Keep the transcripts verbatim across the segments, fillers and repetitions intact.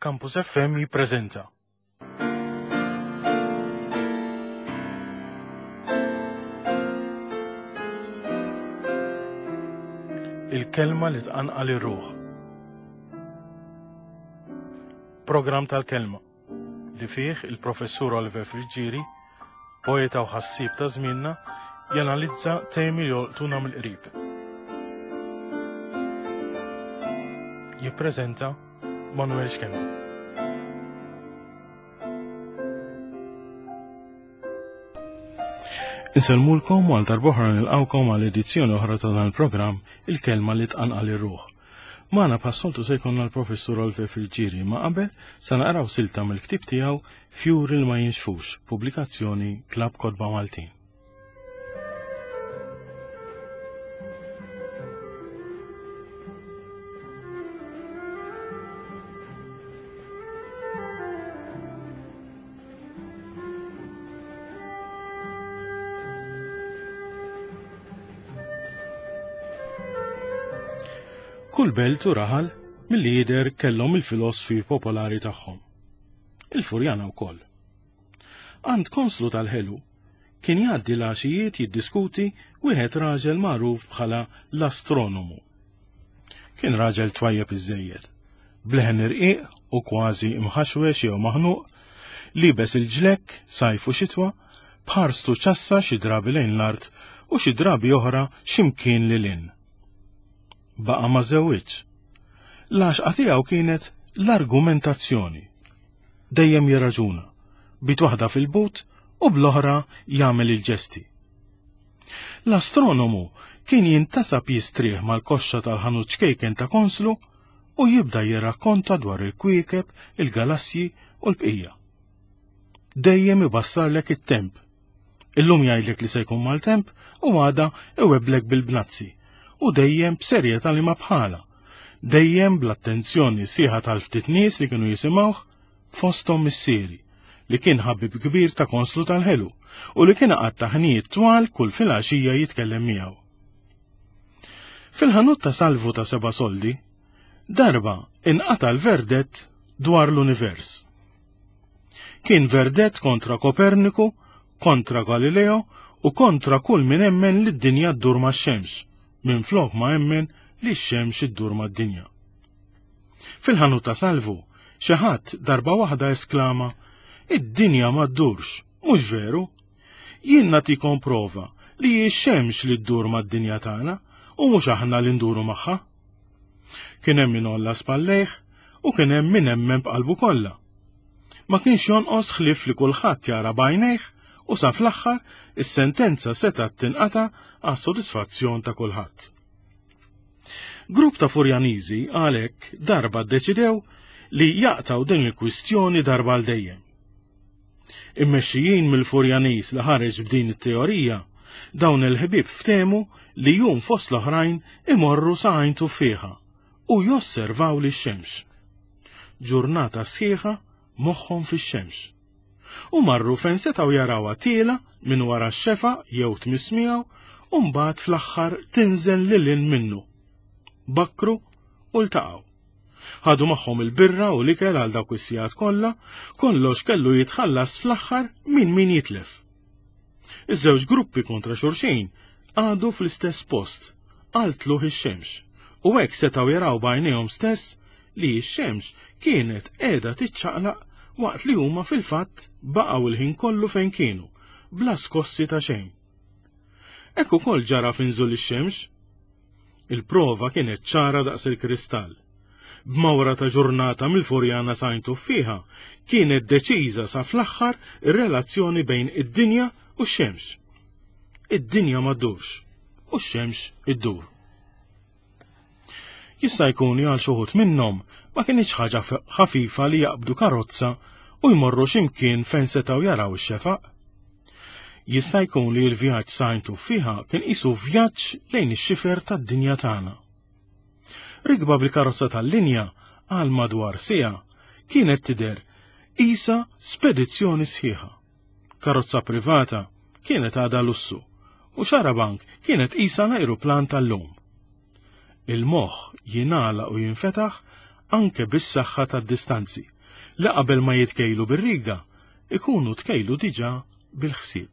Campus F M jippreżenta Il-kelma li tqanqal ir-ruħ. Programm tal-kelma li fih il-professur Oliver Friggieri, poeta u ħassieb ta' żmienna, janalizza temi li jolqtuna mill-qrib. Jippreżenta Manuel Schembri. Insellmulkom u għal darb'oħra nilqawkom għal edizzjoni oħra ta' dan il-programm, Il-kelma li tqanqal ir-ruħ. Magħna bħas-soltu se jkollna l-professur Oliver Friggieri, ma qabel sa naqraw silta mill-ktieb tiegħu Fjuri li ma jinxfux, pubblikazzjoni Klabb Kotba Maltin. Kull belt u raħal milli jidher kellhom il-filosfi popolari tagħhom. Il-Furjana wkoll. Għand konslu tal-ħelu kien jgħaddi l-għaxijiet jiddiskuti wieħed raġel magħruf bħala l-astronomu. Kien raġel twajjeb iżżejjed, bleħen irqiq u kważi imħaxwex jew maħnuq, libes il-ġlekk sajf u xitwa, b'ħarstu ċassa xi drabi lejn l-art u xi drabi oħra x'imkien lil hinn. Baqa' ma żewwiġ. L-għaxqa tiegħu kienet l-argumentazzjoni. Dejjem jirraġuna, b'id waħda fil-but u bl-oħra jagħmel il-ġesti. L-astronomu kien jintasab jistrieħ mal-koxxa tal-ħanut ċkejken ta' konslu u jibda jirrakkonta dwar il-kwiekeb, il-galassji u l-bqija. Dejjem ibassarlek it-temp. Illum jgħidlek li se jkun maltemp u għada iwebblek bil-bnazzi, u dejjem b'serjetà li ma bħala, dejjem bl-attenzjoni sieħa tal-ftit nies li kienu jisimgħuh, fosthom missieri, li kien ħabib kbir ta' konslu tal-ħelu u li kien qatta' ħnijiet twal kull filgħaxija jitkellem miegħu. Fil-ħanut ta' Salvu ta' seba' soldi, darba inqata' l-verdett dwar l-univers. Kien verdett kontra Koperniku, kontra Galileo u kontra kull min emmen li d-dinja ddur max-xemx, minn flok ma emmen li x-xemx iddur mad-dinja. Fil-ħanut ta' Salvu, xi ħadd darba waħda esklama, Id-dinja ma ddurx, mhux veru? Jien nagħtikom prova li hi x-xemx li ddur mad-dinja tagħna u mhux aħna li nduru magħha. Kien hemm min għolla spallejh u kien hemm min emmen b'qalbu kollha. Ma kienx jonqos ħlief li kulħadd jara b'għajnejh u sa fl-aħħar is-sentenza setgħet tinqata' għas-sodisfazzjon ta' kulħadd. Grupp ta' Furjaniżi għalhekk darba ddeċidew li jaqtaw din il-kwistjoni darba għal dejjem. Immexxijin mill-Furjaniż li ħareġ b'din it-teorija, dawn il-ħbieb ftehmu li jum fost l-oħrajn imorru sa għajn tuffieħa u josservaw lix-xemx. Ġurnata sħiħa moħħhom fix-xemx. U marru fejn setgħu jarawha tiela minn wara x-xefa jew tmiss miegħu u mbagħad fl-aħħar tinżel lil hinn minnu. Bakkru u ltaqgħu. Ħadu magħhom il-birra u l-ikel għal dawk is-sigħat kollha, kollox kellu jitħallas fl-aħħar minn min jitlef. Iż-żewġ gruppi kontra xulxin għadu fl-istess post għal tluħ ix-xemx u hekk setgħu jaraw b'għajnejhom stess li x-xemx kienet qiegħda tiċċaqlaq waqt li huma fil-fatt baqgħu il-ħin kollu fejn kienu, bla skossi ta' xejn. Hekk ukoll ġara f'inżul ix-xemx. Il-prova kienet ċara daqs il-kristall. B'mawra ta' ġurnata mill-Furjana sa għajn tuffieħa kienet deċiża sa fl-aħħar ir-relazzjoni bejn id-dinja u x-xemx. Id-dinja ma ddurx u x-xemx iddur. Jista' jkun li għal xi wħud minnhom ma kinitx ħaġa ħafifa li jaqbdu karozza u jmorru x'imkien fejn setgħu jaraw ix-xefaq. Jista' jkun li l-vjaġġ sa għajn tuffieħa kien qisu vjaġġ lejn ix-xifer tad-dinja tagħna. Rikba bil-karozza tal-linja għal madwar siegħa kienet tidher qisha spedizzjoni sħiħa. Karozza privata kienet għadha lussu u xarabank kienet qisha l-ajruplan tal-lum. Il-moħħ jingħalaq u jinfetaħ anke bis-saħħa tad-distanzi li qabel ma jitkejlu bir-riga ikunu tkejlu diġà bil-ħsieb.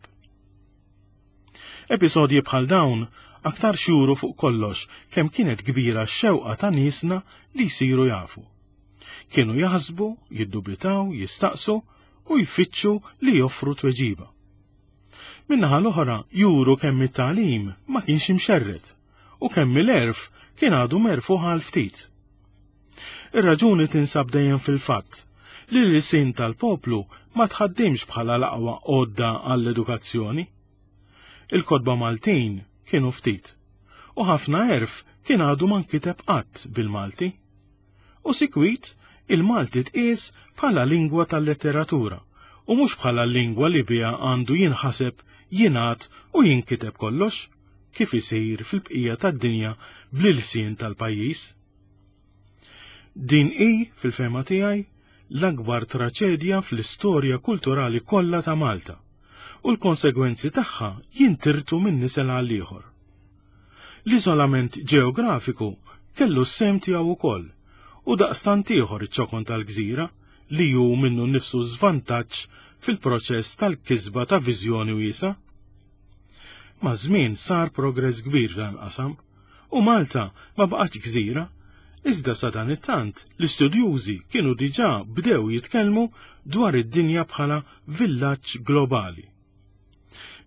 Episodji bħal dawn aktar xuru fuq kollox kemm kienet kbira x-xewqa ta' niesna li jsiru jafu. Kienu jaħsbu, jiddubitaw, jistaqsu u jfittxu li joffru tweġiba. Min-naħa l-oħra juru kemm it-tagħlim ma kienx imxerred u kemm il-għerf kien għadu merfuħ għal ftit. Ir-raġuni tinsab dejjem fil-fatt li l-lisin tal-poplu ma tħaddimx bħala l-aqwa għodda għall-edukazzjoni. Il-kotba Maltin kienu ftit u ħafna għerf kien għadu ma nkiteb qatt bil-Malti. U sikwit il-Malti tqies bħala lingwa tal-letteratura u mhux bħala lingwa li biha għandu jinħaseb, jingħad u jinkiteb kollox, kif isir fil-bqija tad-dinja bl-ilsien tal-pajjiż. Din hi, fil-fehma tiegħi, l-akbar traċedja fl-istorja kulturali kollha ta' Malta u l-konsegwenzi tagħha jintirtu minn nisel għal ieħor. L-iżolament ġeografiku kellu s-sehem tiegħu wkoll u daqstant ieħor iċ-ċokon tal-gżira li hu minnu nnifsu żvantaġġ fil-proċess tal-kisba ta' viżjoni wiesgħa. Maż-żmien sar progress kbir f'dan il-qasam u Malta ma baqgħetx gżira, iżda sa dan it-tant l-istudjużi kienu diġà bdew jitkellmu dwar id-dinja bħala villaġġ globali.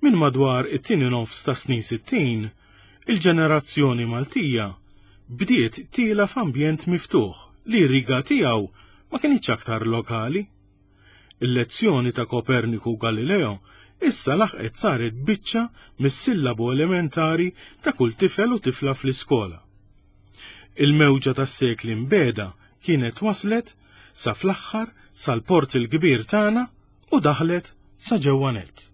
Minn madwar it-tieni nofs ta' snin sittin, il-ġenerazzjoni Maltija bdiet tiela f'ambjent miftuħ li r-riga tiegħu ma kinitx aktar lokali. Il-lezzjoni ta' Koperniku u Galileo issa laħqet saret biċċa mis-sillabu elementari ta' kull tifel u tifla fl-iskola. Il-mewġa tas-sekli mbeda kienet waslet sa fl-aħħar sal-port il-kbir tagħna u daħlet sa ġewwa nett.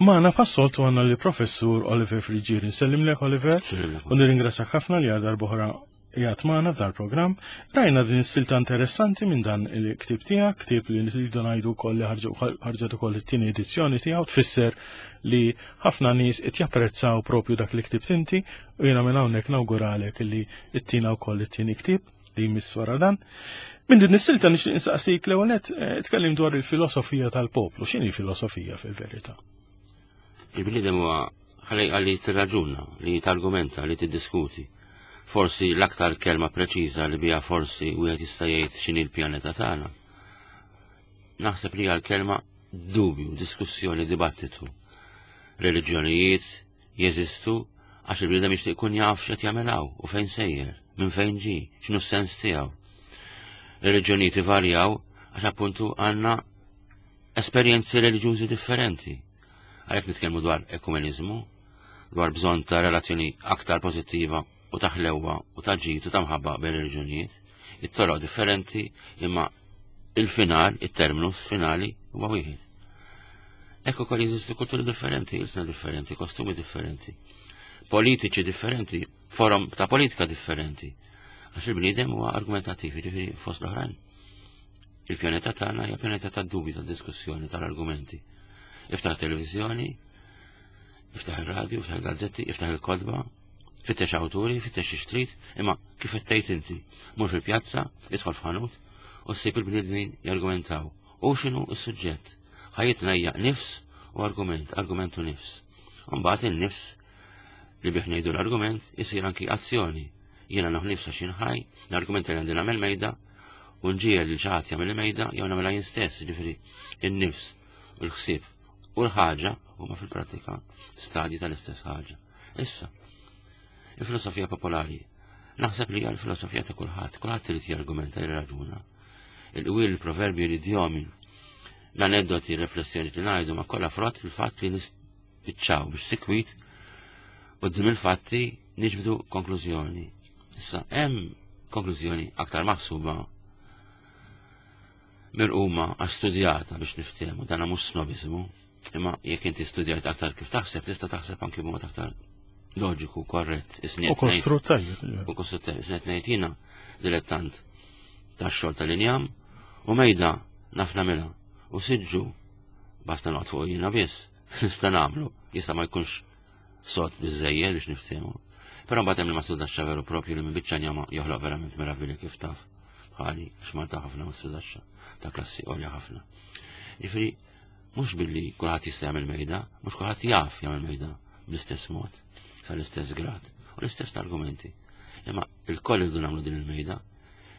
Magħna passoltu għandna li professur Oliver Friggieri. Nsellimlek Oliver u nirringrazzjak ħafna li għal darb'oħra qiegħed magħna f'dal programm. Rajna din is-silta interessanti minn dan il-ktieb tiegħek, ktieb li nridu ngħidu wkoll li ħarġet ukoll it-tieni edizzjoni tiegħu, tfisser li ħafna nies qed japprezzaw propju dak li ktibt inti u jiena minn hawnhekk nawguralek li ttina wkoll it-tieni ktieb li jmiss wara dan. Minn din is-silta nixtieq insaqsik l-ewwel nett tkellim dwar il-filosofija tal-poplu. X'inhi filosofija fil-verità? Il-bniedem huwa ħalejqa li tirraġuna, li targumenta, li tiddiskuti. Forsi l-aktar kelma preċiża li biha forsi wieħed jista' jgħid x'inhi l-pjaneta tagħna. Naħseb li hija l-kelma dubju, diskussjoni, dibattitu. Reliġjonijiet jeżistu għax il-bniedem jixtieq ikun jaf x'qed jagħmel hawn u fejn sejjer, minn fejn ġie, x'inhu s-sens tiegħu. Reliġjonijiet ivarjaw għax appuntu għandna esperjenzi reliġjużi differenti. Għalhekk nitkellmu dwar ekumeniżmu, dwar bżonn ta' relazzjoni aktar pożittiva u ta' ħlewwa u ta' ġid u ta' mħabba bejn reliġjonijiet, it-toroq differenti imma il-final, it-terminus finali huwa wieħed. Hekk ukoll jeżistu kulturi differenti, ilsna differenti, kostumi differenti, politiċi differenti, forom ta' politika differenti. Għax il-bniedem huwa argumentattiv, jiġifieri fost l-oħrajn. Il-pjaneta tagħna hija pjaneta tad-dubju, tad-diskussjoni, tal-argumenti. Iftaħ televizjoni, iftaħ il-radio, iftaħ il-gazzetti, iftaħ il-kotba, fittex awturi, fittex xi trid, imma kif qed tgħid inti, mur fil-pjazza, idħol f'ħanut u ssib il-bniedmin jargumentaw. U x'inhu s-suġġett? Ħajjitna hija nifs u argument, argument u nifs. U mbagħad in-nifs li bih ngħidu l-argument isir anki azzjoni. Jiena nieħu nifs għax jien ħaj, l-argument li għandi nagħmel mejda u nġiegħel lil xi ħadd jagħmel il-mejda jew nagħmilha jien stess, jiġifieri in-nifs u l-ħsieb u l-ħaġa huma fil-prattika stadji tal-istess ħaġa. Issa, il-filosofija popolari, naħseb li hija l-filosofija ta' kulħadd, kulħadd irid jargumenta, jirraġuna. Il-qwiel, il-proverbji, l-idjomi, l-aneddoti, l-riflessjoni li ngħidu ma kollha frott il-fatt li nispiċċaw biex sikwit quddiem il-fatti niġbdu konklużjoni. Issa, hemm konklużjoni aktar maħsuba mirquma għax studjata biex niftehmu, dana mhux snobizmu, imma jekk inti studjajt aktar kif taħseb, tista' taħseb anki b'mod aktar loġiku, korrett. U kostrut tajjeb. U kostrut tajjeb. Isni qed ngħid jiena dilettant tax-xogħol tal-injam u mejda naf nagħmilha u siġġu basta noqgħod fuq jiena biss nista' nagħmlu. Jista' ma jkunx sod biżżejjed biex niftehmu. Però mbagħad hemm il-mastrudaxxa veru propju li minn biċċa njama joħloq verament meravilja kif taf. Bħali, x'Malta ħafna mastrudaxxa ta' klassi għolja ħafna. Jiġifieri mhux billi kulħadd jista' jagħmel mejda, mhux kulħadd jaf jagħmel mejda bl-istess mod, sal-istess grad, u l-istess l-argumenti. Imma il-koll irridu nagħmlu din il-mejda,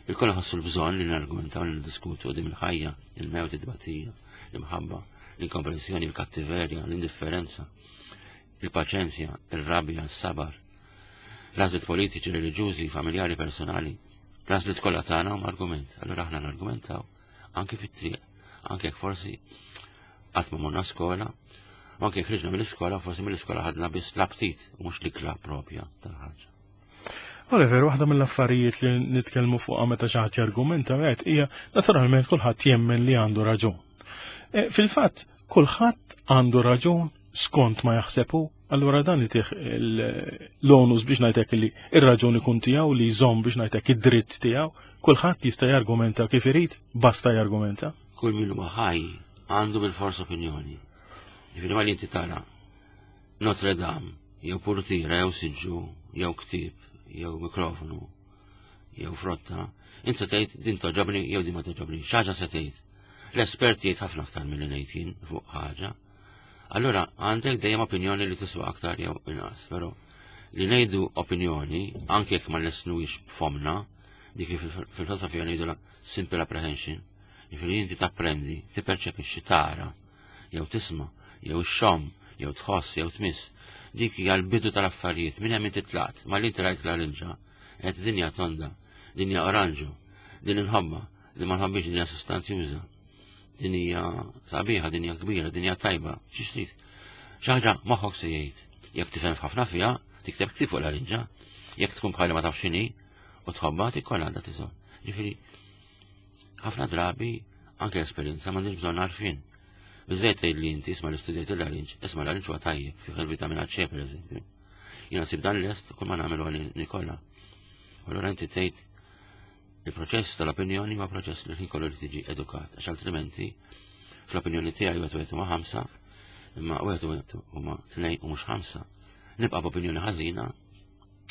il-koll ħassu l-bżonn li nargumentaw li niddiskutu din il-ħajja, il-mewt, id-tbatija, l-imħabba, l-inkomprensjoni, il-kattiverja, l-indifferenza, il-paċenzja, il-rabja, s-sabar, l-għażliet politiċi, reliġjużi, familjari, personali, l-għażliet kollha tagħna huma argument. Allura aħna nargumentaw anke fit-triq, anke jekk forsi qatt ma morna skola, u anke jekk ħriġna mill-iskola, forsi mill-iskola ħadna biss l-aptit u mhux l-ikla propja tal-ħaġa. Oliver, waħda mill-affarijiet li nitkellmu fuqha meta xi ħadd jargumenta għedt hija naturalment kulħadd jemmen li għandu raġun. E, Fil-fatt, kulħadd għandu raġun skont ma jaħsebu, allura dan itih l-onus biex ngħidlek li ir-raġun ikun tiegħu li jżomm biex ngħidlek id-dritt tiegħu, kulħadd jista' jargumenta kif irid, basta jargumenta. Kull min huwa ħaj għandu bil-fors opinjoni. Jiġifieri ma li inti tara Notre Dame, jew purtira, jew siġġu, jew ktieb, jew mikrofonu, jew frotta, inti se tgħid din togħġobni jew din ma togħġobni, xi ħaġa se tgħid. L-espert jgħid ħafna aktar milli ngħid jien fuq ħaġa. Allura għandek dejjem opinjoni li tiswa aktar jew inqas, però li ngħidu opinjoni anke jekk ma nlissnuhiex b'fomna, dik li fil-filosofija ngħidu simple apprehension, jiġifieri inti tapprendi, tipperċepixxi tara, jew tisma', jew ixxomm, jew tħoss, jew tmiss. Dik hija l-bidu tal-affarijiet, minn hemm inti tlaqt, ma li inti rajt l-larinġa, qed dinja tonda, dinja oranġo, din inħobba, din ma nħobbix dinja sostanzjuża. Din hija sabiħa, din hija kbira, din hija tajba, xi trid. Xi ħaġa moħħok se jgħid. Jekk tifhem ħafna fiha, tikteb ktieb fuq l-larinġa. Jekk tkun bħali ma tafx x'inhi u tħobbha tikkolla għandha tiżol. Ġifieri ħafna drabi anke esperjenza m'għandix bżonn għarfien. Biżejt tgħid li inti isma' l-istudjajt il-larinġ, isma' l-larinġ huwa tajjeb fih il-vitamina C pereżempju. Jiena sib dan lest kull ma nagħmlu għal nikola. U allura inti tgħid il-proċess tal-opinjoni huwa proċess li ħin kollu li tiġi edukat, għax altrimenti fl-opinjoni tiegħi wieħed wieħed huma ħamsa, imma wieħed wieħed huma tnejn u mhux ħamsa. Nibqa' b'opinjoni ħażina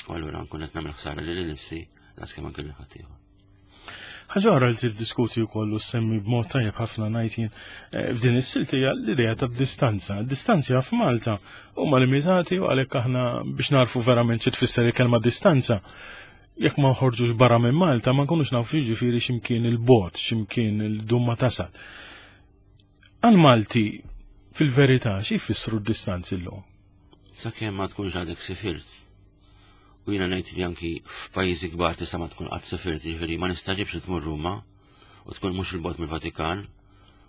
u allura nkun qed nagħmel ħsara lili nnifsi daqskemm anke lil ħaddieħor. Ħaġa oħra li tiddiskuti wkoll u semmi b'mod tajjeb ħafna ngħid jien eh, f'din is-silta hija l-idea ta' distanza. Distanza f'Malta huma limitati u għalhekk aħna biex narfu verament xi tfisser il-kelma distanza. Jekk ma nħorġux barra minn Malta ma nkunux nafu jiġifieri x'imkien il-bogħod, x'imkien il-dum ma tasal. Għal Malti fil-verità xi jfissru d-distanzi llum? Sakemm ma tkunx għadek sifirt. U jiena ngħid li anki f'pajjiżi kbar tista' ma tkun qatt sifirt, jiġifieri ma nistaġibx li tmur Ruma u tkun mhux il-bogħod mill-Vatikan,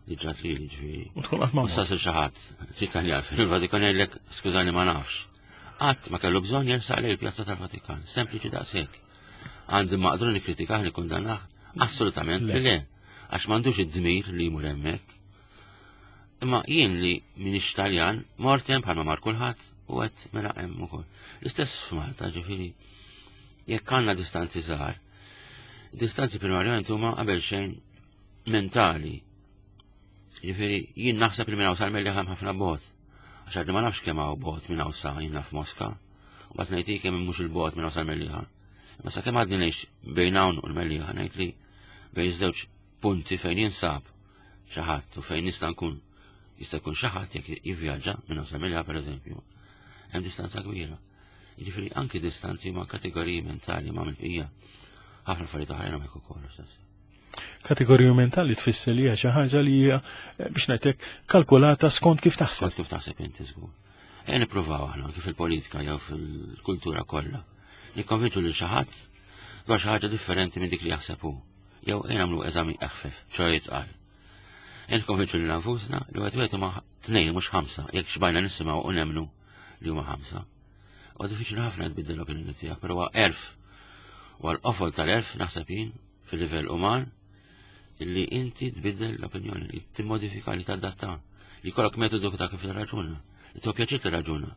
li ġrat li jiġifieri. U tkun qatt ma U sasir xi ħadd, Italjan fil-Vatikan jgħidlek skużani ma nafx. Qatt ma kellu bżonn jersaq lejn il-pjazza tal-Vatikan, sempliċi daqshekk. Għandi maqdru nikkritikah nikkundannah? Assolutament li le. Għax m'għandux id-dmir li jmur hemmhekk. Imma jien li minix Taljan, mort hemm bħalma mar kulħadd u għedt mela hemm ukoll. L-istess f'Malta, ġifieri, jekk għandna distanzi żgħar, distanzi primarjament huma qabel xejn mentali. Ġifieri, jien naħseb li minn hawn sal-Mellieħa hemm ħafna bogħod. Għax għadni ma nafx kemm hawn bogħod minn hawn sa jien naf Moska. U mbagħad ngħid kemm mhux il-bogħod minn hawn sal-Mellieħa. Ma sakemm għadni ngħix bejn hawn u l-Mellieħa ngħid li bejn żewġ punti fejn jinsab xi ħadd u fejn nista' nkun jista' jkun xi ħadd jekk jivvjaġġa minn hawn sal-Mellieħa pereżempju. Hemm distanza kbira. Jiġifieri anki distanzi ma' kategoriji mentali ma' mill-bqija. Ħafna affarijiet oħrajn hekk ukoll stess. Kategoriju mentali tfisser li hija xi ħaġa li hija eh, biex ngħidlek kalkulata skont kif taħseb. Skont kif taħseb inti żgur. Ejja nippruvaw aħna kif fil-politika jew fil-kultura kollha. Nikkonvinċu lil xi ħadd dwar xi ħaġa differenti minn dik li jaħseb hu. Jew ejja nagħmlu eżami eħfef, ċoè jitqal. Ejja nikkonvinċu lil nfusna li wieħed wieħed huma tnejn mhux ħamsa, jekk xbajna nisimgħu u nemmnu li huma ħamsa. U diffiċli ħafna tbiddel l-opinjoni tiegħek, però huwa għerf. U għal-qofol tal-għerf naħseb jien fil-livell uman illi inti tbiddel l-opinjoni, li timmodifika li tadatta, li jkollok metodu ta' kif tirraġuna, li tieħu pjaċir tirraġuna.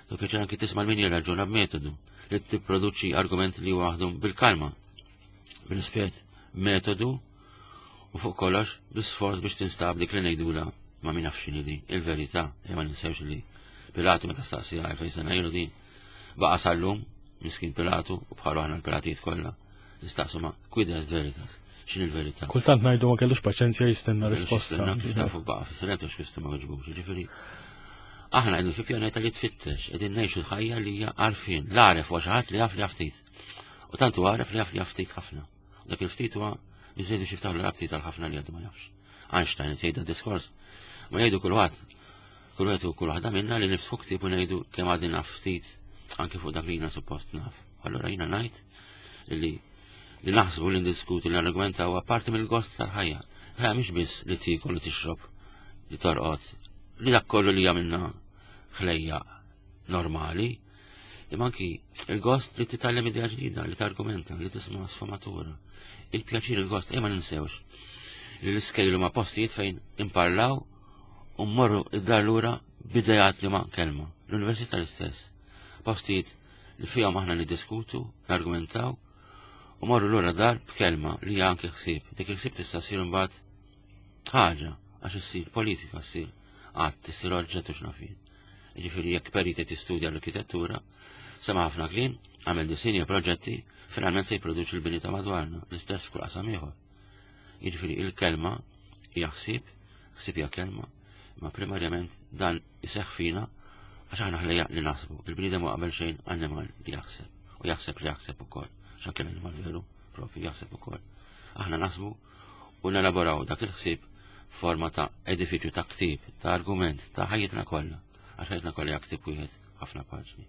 Tieħu pjaċir anki tisma' min jirraġuna b'metodu li tipproduċi argumenti li waħdu bil-kalma, bil-rispett, metodu u fuq kollox bi-sforz biex tinstab dik li ngħidula ma min nafx x'inhi din, il-verità, e ma ninsewx li Pilatu meta staqsija elfejn sena ilu din baqa' sal-lum, miskin Pilatu u bħalu aħna l-Pilatijiet kollha, nistaqsu ma quid est veritas, x'inhi l-verità. Kultant ngħidu ma kellux paċenzja jistenna risposta. Jistenna kif tafu baqa' fis-silenzju x'Kristu ma weġbux, jiġifieri aħna qegħdin fi pjaneta li tfittex, qegħdin ngħixu l-ħajja li hija għarfien, l-għaref huwa xi ħadd li jaf li jaf ftit. U tant huwa għaref li jaf li jaf ftit ħafna. U dak il-ftit huwa biżejjed biex jiftaħlu l-rabti tal-ħafna li għadu ma jafx. Einstein qed jgħid diskors, ma jgħidu kulħadd, kull wieħed u kull waħda minna li niftħu ktieb u ngħidu kemm għadni naf ftit anke fuq dak li jiena suppost naf. Allura jiena ngħid li li naħsbu li ndiskutu li argumenta huwa parti mill-gost tal-ħajja. Ħajja mhix biss li tiekol li tixrob, li torqod, li dak kollu li jagħmilna ħlejja normali, imma anki il-gost li titgħallem idea ġdida, li targumenta, li tisma' sfumatura. Il-pjaċir, il-gost, ejja ma ninsewx li l-iskejlu ma' postijiet fejn imparlaw u mmorru id-dar lura b'idejat li ma' kelma. L-università l-istess. Postijiet li fihom aħna niddiskutu, nargumentaw, u morru lura dar b'kelma li hija anke ħsieb. Dik il-ħsieb tista' ssir imbagħad ħaġa għax issir politika, ssir qatt, issir oġġett u x'nafin. Jiġifieri jekk perit qed jistudja l-arkitettura, sema' ħafna kliem, għamel disinji u proġetti, finalment se jipproduċi l-bini ta' madwarna, l-istess f'kull qasam ieħor. Jiġifieri il-kelma hija ħsieb, ħsieb hija kelma, ma primarjament dan iseħħ fina għax aħna ħlejja li naħsbu. Il-bniedem huwa qabel xejn annimal li jaħseb u jaħseb li jaħseb ukoll. Għax anke l-annimal veru propju jaħseb ukoll. Aħna naħsbu u nelaboraw dak il-ħsieb forma ta' edifiċju, ta' ktieb, ta' argument, ta' ħajjitna kollha. Għax ħajjitna kollha hija ktieb wieħed ħafna paġni.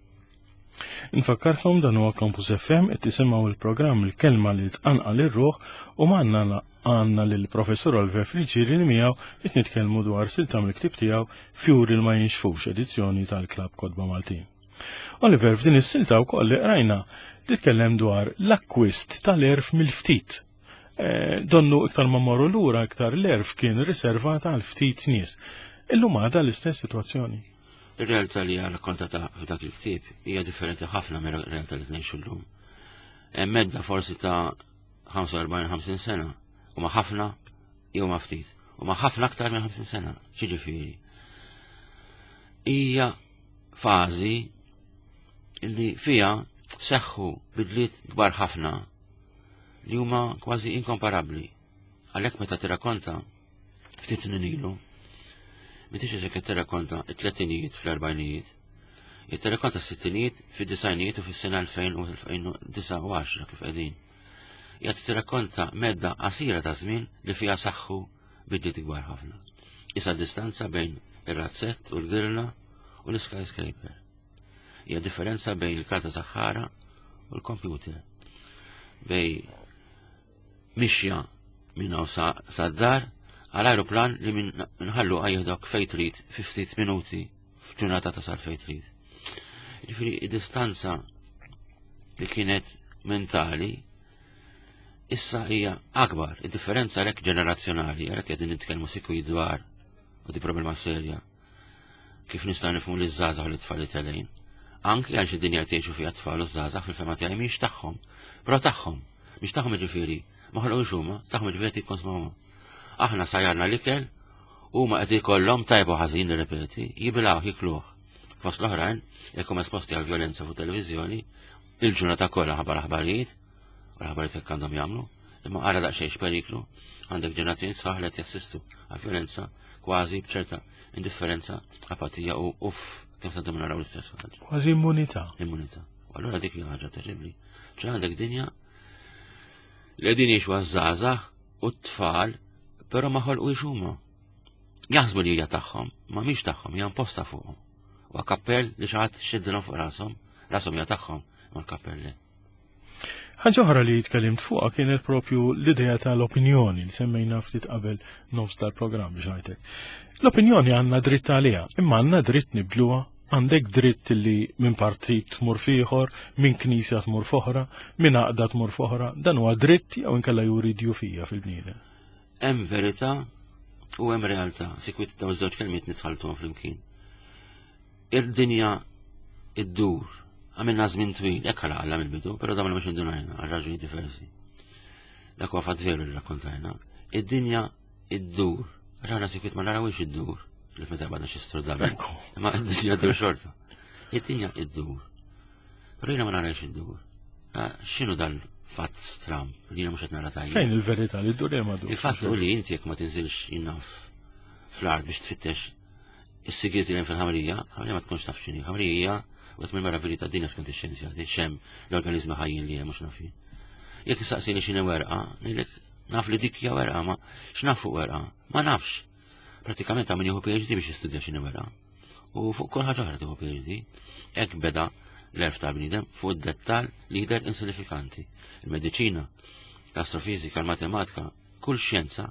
Nfakkarkom dan huwa Campus F M qed tisimgħu il-programm Il-Kelma li tqanqal ir-ruħ u magħna għandna lill-Professur Oliver Friggieri li miegħu qed nitkellmu dwar silta mill-ktieb tiegħu Fjuri li ma jinxfux, edizzjoni tal-Klabb Kotba Maltin. Oliver, f'din is-silta wkoll li qrajna titkellem dwar l-akkwist tal-erf mill-ftit. Eh, donnu iktar ma morru lura iktar l-erf kien riservat għal ftit nies. Illum għadha l-istess sitwazzjoni. Ir-realtà li hija rrakkontata f'dak il-ktieb hija differenti ħafna mir-realtà li tnejxu llum. Hemm medda forsi ta' ħamsa u erbgħin, ħamsin sena, u ma' ħafna jew ma' ftit, u ma' ħafna aktar minn ħamsin sena. Xiġifieri? Hija fażi li fiha seħħu bidliet kbar ħafna li huma kważi inkomparabbli. Għalhekk meta tirrakkonta ftit snin ilu, meta xi qed tirrakkonta t-tletinijiet fl-erbgħinijiet, qed tirrakkonta s-sittinijiet fid-disgħinijiet u fis-sena elfejn u elfejn u disa' u għaxra kif qegħdin. Qed tirrakkonta medda qasira ta' żmien li fiha saħħu bidliet kbar ħafna. Issa distanza bejn ir-razzett u l-girla u l-skyscraper. Hija differenza bejn il-karta saħħara u l-computer. Bej mixja minn hawn sa-, sad-dar għal aeroplan li minn nħallu għajħdok fejn trid fi ftit minuti f'ġurnata tasal fejn trid. Jiġifieri id-distanza li kienet mentali issa hija akbar. Id-differenza għalhekk ġenerazzjonali, għalhekk qegħdin nitkellmu sikwit dwar u di problema serja kif nistgħu nifhmu li ż-żgħażagħ u l-tfal li telgħin. Anki għal xi dinja tgħixu fiha tfal u żgħażagħ fil-fema tiegħi mhix tagħhom, però tagħhom, mhix tagħhom jiġifieri, ma ħolqux huma, tagħhom jiġifieri qed jikkonsmawhom. Aħna sajjarna l-ikel huma qed ikollhom tajbu ħażin nirrepeti, jibilgħu jikluh. Fost l-oħrajn, jekk huma esposti għal vjolenza fuq televiżjoni, il-ġurnata kollha ħabar aħbarijiet, u l-aħbarijiet hekk għandhom jagħmlu, imma ara daqsxejn x'periklu, għandek ġenerazzjoni sħaħ li qed jassistu għal vjolenza kważi b'ċerta indifferenza, apatija u uff, kemm se nagħmlu naraw l-istess ħaġa. Kważi immunità. Immunità. U allura dik hija ħaġa terribbli. Ċe għandek dinja li qegħdin jgħixu għaż-żgħażagħ u t-tfal, però ma ħolqux huma. Jaħsbu li hija tagħhom, ma mhix tagħhom, hija imposta fuqhom. U kappell li xi ħadd xiddilhom fuq rashom, rashom hija tagħhom, ma l-kappell le. Ħaġa oħra li tkellimt fuqha kienet propju l-idea tal-opinjoni li semmejna ftit qabel nofs tal-programm biex ngħidlek. L-opinjoni għandna dritt għaliha, imma għandna dritt nibdluha. Għandek dritt li minn partit tmur f'ieħor, minn knisja tmur f'oħra, minn għaqda tmur f'oħra, dan huwa dritt jew inkella juri djufija fil-bniedem. Hemm verità u hemm realtà, sikwit dawn iż-żewġ kelmiet nitħalltuhom flimkien. Ir-dinja iddur. Għamilna żmien twil, hekk ħalaq Alla mill-bidu, però dawn mhux indunajna għal raġuni diversi. Dak huwa fatt veru li rakkontajna. Id-dinja iddur. Għax aħna sikwit ma narawix iddur li meta għadna xi strudabi. Ma id-dinja ddur xorta. Id-dinja iddur. Però jiena ma narawix iddur. X'inhu dal-fatt stram li jiena mhux qed nara tajjeb. Fejn il-verità li ddur jew ma ddur? Il-fatt hu li inti jekk ma tinżilx jinnaf fl-art biex tfittex is-sigrieti li hemm fil-ħamrija, ħamrija ma tkunx taf x'inhi. Ħamrija u mill meravilji tad-dinja skont ix-xjenzjati, x'hemm l-organizmi ħajjin li hemm mhux naf jien. Jekk issaqsini x'inhi werqa, ngħidlek naf li dik hija werqa, ma x'naf fuq werqa? Ma nafx. Pratikament hawn min jieħu PhD biex jistudja x'inhi werqa. U fuq kull ħaġa oħra tieħu PhD. Hekk beda l-għerf tal-bniedem fuq id-dettall li jidher insinifikanti. Il-mediċina, l-astrofizika, l-matematika, kull xjenza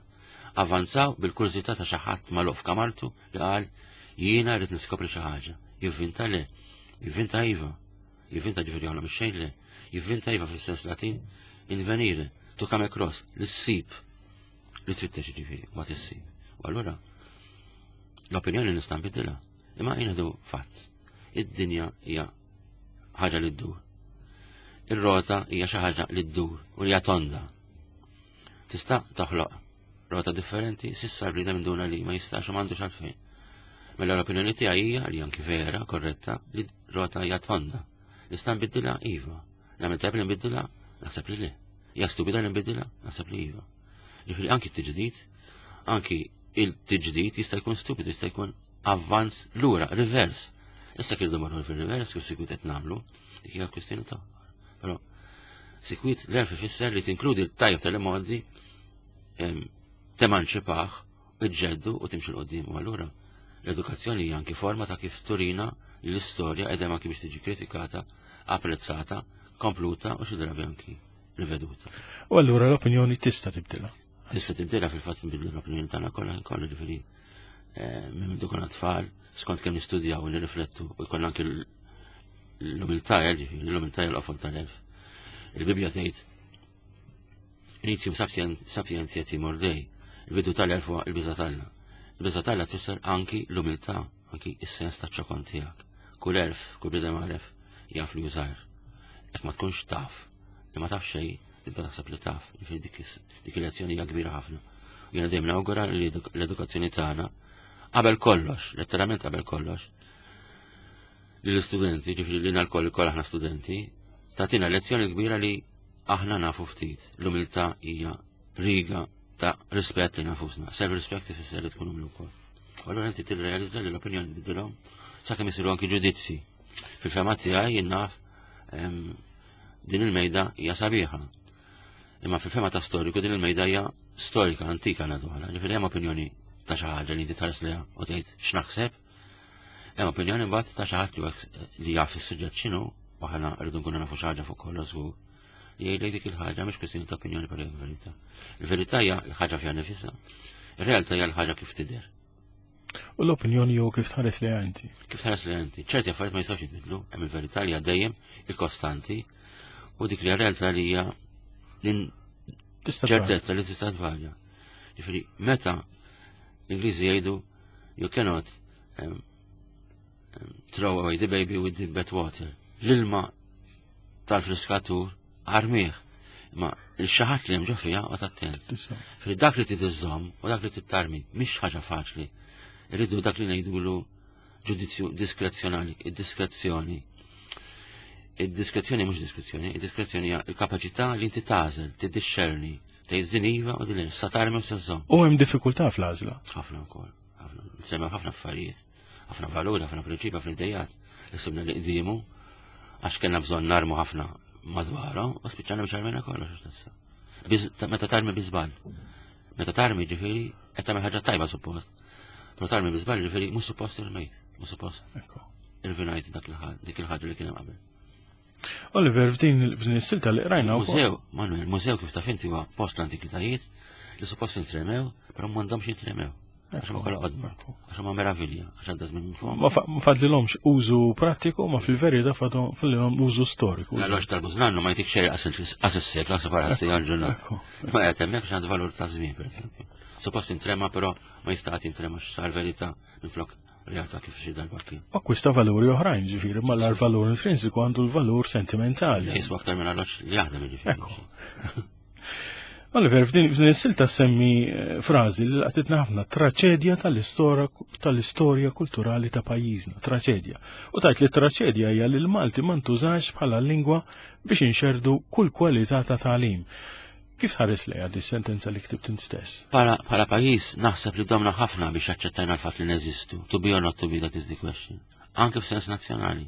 avanzaw bil-kurżità ta' xi ħadd magħluq f'kamartu li qal jiena rrid niskopri xi ħaġa. Jivvinta le, jivvinta iva, jivvinta ġifieri joħloq mix-xejn le, jivvinta iva fis-sens Latin invenire, to come across, li ssib, li tfittex ġifieri, ma tissib. U allura l-opinjoni nista' nbiddilha, imma jien fatt. Id-dinja hija ħaġa li ddur. Ir-rota hija xi ħaġa li ddur u li hija tonda. Tista' toħloq rota differenti, s'issa l-bniedem induna li ma jistax u m'għandux għalfejn. Mela l-opinjoni tiegħi hija li anki vera, korretta, li rota hija tonda. Nista' nbiddilha iva. Nagħmel tajjeb li nbiddilha? Naħseb li le. Hija stupida li nbiddilha? Naħseb li iva. Ġifieri anki t-tiġdid, anki il-tiġdid jista' jkun stupidu, jista' jkun avvanz lura, reverse. Issa kirdu marru fil-reverse kif sikwit qed nagħmlu, dik hija kwistjoni ta'. Però sikwit l-għerf ifisser li tinkludi l-tajjeb tal-imgħoddi temanċipaħ, iġġeddu u timxi l-qoddim. U allura l-edukazzjoni hija anki forma ta' kif turina li l-istorja qegħda anki biex tiġi kritikata, apprezzata, kompluta u xi drabi anki riveduta. U allura l-opinjoni tista' tibdilha. Tista' tibdilha fil-fatt nbidlu l-opinjoni tagħna kollha kollu ġifieri eh, minn minn konna tfal, skont kemm nistudjaw u nirriflettu u jkollna anki l-umiltà, ġifieri l-umiltà hija l-qofol tal-għerf. Il-Bibbja tgħid Initium sapientiae timor Dei, il-bidu tal-għerf huwa il-biża' t'Alla. Il-biża' t'Alla tfisser anki l-umiltà, anki is-sens ta' ċokon tiegħek. Kull għerf, kull bniedem għaref jaf li hu żgħir. Jekk ma tkunx taf, li ma taf xejn, tibda taħseb li taf, ġifieri dik dik il-lezzjoni hija kbira ħafna. Jiena dejjem nawgura li l-edukazzjoni tagħna qabel kollox, letteralment qabel kollox, li l-istudenti, ġifieri li lkoll koll aħna studenti, tagħtina lezzjoni kbira li aħna nafu ftit. L-umiltà hija riga ta' rispett li nafusna. Self-respect ifisser li tkun umli wkoll. U allura inti tirrealizza li l-opinjoni tbiddilhom sakemm isiru anki ġudizzi. Fil-fehma tiegħi jien naf din il-mejda hija sabiħa. Imma fil-fehma ta' storiku din il-mejda hija storika, antika nadwala. Ġifieri hemm opinjoni ta' xi ħaġa li inti tħares liha u tgħid x'naħseb. Hemm opinjoni mbagħad ta' xi ħadd li jaf is-suġġett x'inhu u aħna rridu nkunu nafu xi ħaġa fuq kollox żgur li jgħidlek dik il-ħaġa mhix kwestjoni ta' opinjoni però hija verità. Il-verità hija l-ħaġa fiha nifisha. Ir-realtà hija l-ħaġa kif tidher. U l-opinjoni jew kif tħares li inti. Kif tħares li inti. Ċerti affarijiet ma jistgħux jitbidlu, hemm il-verità li hija dejjem il-kostanti u dik li hija realtà li hija ċertezza li tista' tvarja. Ġifieri meta l-Ingliżi jgħidu you cannot um, um, throw away the baby with the bath water. L-ilma tal-friskatur armih. Ma il-xaħat li hemm ġo fiha u attent. Fil dak li titiżżomm u dak li tittarmi mhix ħaġa faċli. Irridu dak li ngħidulu ġudizzju diskrezzjonali, id-diskrezzjoni. Id-diskrezzjoni mhux diskrezzjoni, id-diskrezzjoni hija l-kapaċità li inti tagħżel, tiddixxerni, tgħid din iva u din sa tarmi u sa żżomm. U hemm diffikultà fl-għażla. Ħafna wkoll, ħafna. Nsemmew ħafna affarijiet, ħafna valuri, ħafna prinċipi, ħafna idejat li sibna li qdiemu għax kellna bżonn narmu ħafna madwarhom u spiċċajna biex armejna kollox għax tista'. Meta tarmi bi żball. Meta tarmi ġifieri qed tagħmel ħaġa tajba suppost. Però tarmi bi żball ġifieri mhux suppost irmejt, mhux suppost. Irvinajt dak dik il-ħaġa li kien hemm qabel. Oliver, f'din f'din is-silta li qrajna Mużew, Manuel, mużew kif taf inti huwa post l-antikitajiet li suppost intremew, però m'għandhomx jintremew. Għax ma kollha qodma, għax ma meravilja, għax għadda żmien minn fuq. Ma fadlilhomx użu prattiku, ma fil-verità fadlilhom użu storiku. L-għax tal-bużnannu ma jtik xejn qas is-sekla separa s-sejja l-ġurnata. Ma qed hemmhekk għandu valur ta' żmien, pereżempju. Suppost intrema però ma jista' qatt jintrema x'sar verità minflok realtà kif xi darba kien. Akkwista valuri oħrajn, ġifieri, ma l-valur intrinsiku għandu l-valur sentimentali. Jiswa aktar minn arloġġ li jaħdem ġifieri. Ekku. Oliver, f'din is-silta semmi eh, frażi li laqtitna ħafna, traċedja tal-istorja kulturali ta' pajjiżna, traċedja. U tajt li traċedja hija li l-Malti ma ntużax bħala lingwa biex inxerdu kull kwalità ta' tagħlim. Kif tħares lejha di sentenza li ktibt int stess? Bħala pajjiż naħseb li domna ħafna biex aċċettajna l-fatt li neżistu. To be or not to be, that is the question. Anke f'sens nazzjonali.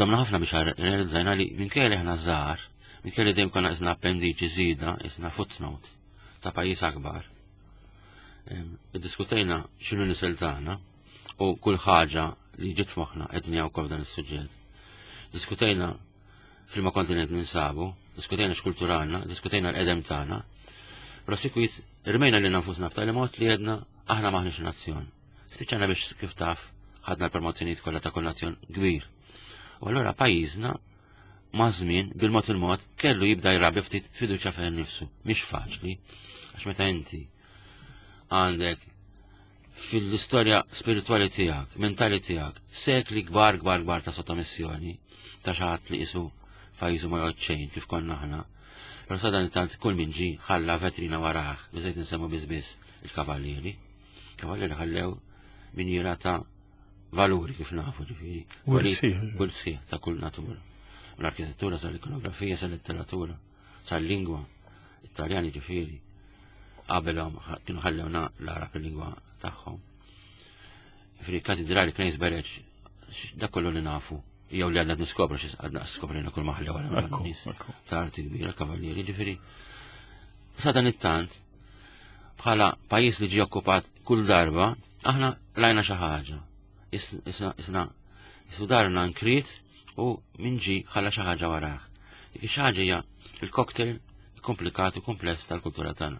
Domna ħafna biex realizzajna li minkejja li aħna żgħar, minkejja li dejjem konna isna appendiċi żida, isna footnote ta' pajjiż akbar. Iddiskutejna x'inhu nisel tagħna u kull ħaġa li ġiet f'moħħna qed wkoll dan is-suġġett. Diskutejna f'liema kontinent ninsabu, diskutejna x'kultura għandna, diskutejna l-qedem tagħna, però sikwit irmejna lilna nfusna b'tali mod li għedna aħna maħniex nazzjon. Spiċċajna biex kif taf ħadna l-promozzjonijiet kollha ta' kull nazzjon kbir. U allura pajjiżna ma' żmien bil-mod il-mod kellu jibda jrabbi ftit fiduċja fih nifsu. Mhix faċli, għax meta inti għandek fil-istorja spirituali tiegħek, mentali tiegħek, sekli kbar kbar kbar ta' sottomissjoni, ta' xi ħadd li qisu pajjiżu ma jgħod xejn kif konna aħna. Però sadan tant kull min ġi ħalla vetrina warah, biżejt nsemmu biss biss il-kavallieri. Kavallieri ħallew minjera ta' valuri kif nafu ġifieri. Kull sieħ ta' kull natura. L-arkitettura sal-ikonografija, sal-letteratura, sal-lingwa, Italjani ġifieri. Qabelhom kienu ħallewna l-Arab il-lingwa tagħhom. Ġifieri katedrali Knejs Bereġ, dak kollu li nafu jew li għadna niskopru xi għadna skoprina kull maħli wara nies ta' arti kbira, kavallieri, ġifieri. Sa dan it-tant, bħala pajjiż li ġie okkupat kull darba, aħna lajna xi ħaġa. Isna isna darna nkrit u min ġi ħalla xi ħaġa warah. Dik xi ħaġa hija il-cocktail komplikat u kompless tal-kultura tagħna.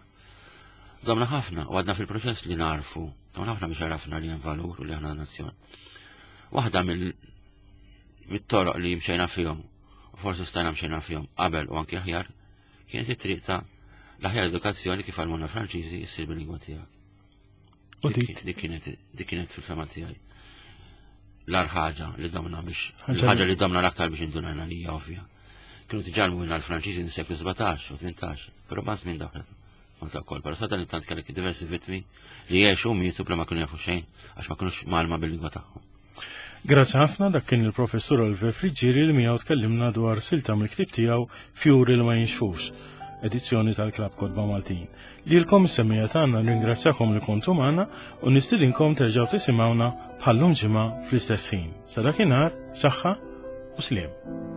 Domna ħafna u għadna fil-proċess li narfu, domna ħafna biex għarafna li hemm valur u li aħna nazzjon. Waħda mill mit-toroq li mxejna fihom, u forsi stajna mxejna fihom qabel u anki aħjar, kienet it-triq ta' l-aħjar edukazzjoni kif għallmuna Franċiżi issir bil-lingwa tiegħek. Dik kienet dik kienet fil-fema tiegħi. L-ar ħaġa li domna biex ħaġa li domna l-aktar biex indunajna li hija ovvja. Kienu tiġalmu l-Franċiżi n-seklu sbatax u tmintax, però ma' żmien daħlet. Malta wkoll, però sa dan it-tant kellek diversi vittmi li għexu u mietu bla ma kienu jafu xejn għax ma kinux malma bil-lingwa tagħhom. Grazzi ħafna, dak kien il-professur Oliver Friggieri li miegħu tkellimna dwar silta mill-ktieb tiegħu Fjuri li ma jinxfux, edizzjoni tal-Klabb Kotba Maltin. Lilkom is-semmiegħa tagħna nringrazzjakom li kontu magħna u nistidinkom terġgħu tisimgħuna bħallum ġimgħa fl-istess ħin. Sa dakinhar, saħħa u sliem.